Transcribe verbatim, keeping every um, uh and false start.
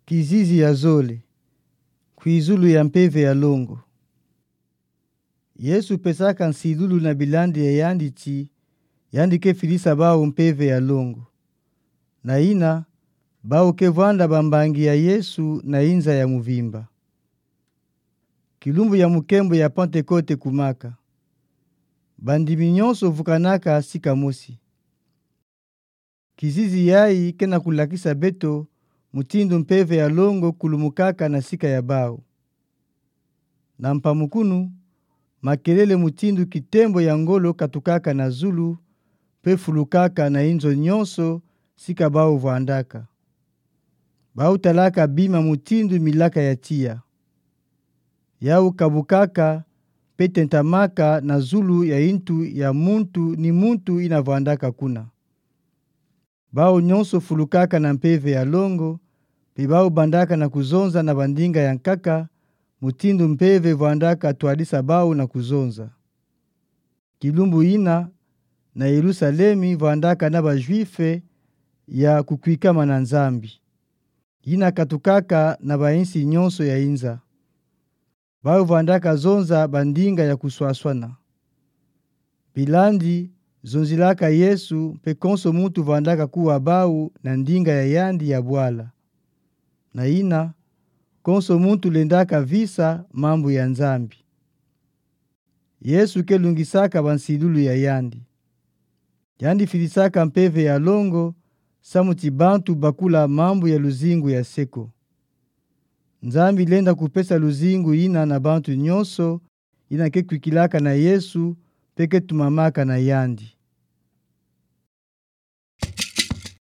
Kizizi ya zole. Kwizulu ya mpeve ya longo. Yesu pesaka nsilulu na bilandi ya yandi ti, yandi ke filisa bawu mpeve ya longo. Na ina, bawu ke vwanda bambangi ya Yesu na inza ya muvimba. Kilumbu ya mukembo ya Pantekote kumaka. Bandimi nyonso vukanaka sika mosi. Kizizi yayi ke na kulakisa beto mutindu mpeve ya longo kulumukaka na sika ya bawu. Na mpamukunu, makelele mutindu kitembo ya ngolo katukaka na zulu, mpe fulukaka na inzo nyonso sika bawu vwandaka. Bawu talaka bima mutindu milaka ya tiya. Yawu kabukaka, mpe tentamaka na zulu ya intu ya muntu ni muntu ina vwandaka kuna. Bawu nyonso fulukaka na mpeve ya longo, mpe bawu bandaka na kuzonza na bandinga ya nkaka, mutindu mpeve vwandaka twadisa bawu na kuzonza. Kilumbu ina, na Yelusalemi vwandaka na ba Juifs ya kukwikama na Nzambi. Ina katukaka na bayinsi nyonso ya inza. Bawu vwandaka zonza bandinga ya kuswaswana. Bilandi zonzilaka Yesu mpe konso muntu vwandaka kuwa bawu na ndinga ya yandi ya bwala. Na ina, konso muntu lendaka visa mambu ya Nzambi. Yesu ke lungisaka bansilulu ya yandi. Yandi filisaka mpeve ya longo, samu ti bantu bakula mambu ya luzingu ya seko. Nzambi lenda kupesa luzingu ina na bantu nyonso ina ke kwikilaka na Yesu mpe ke tumamaka na yandi.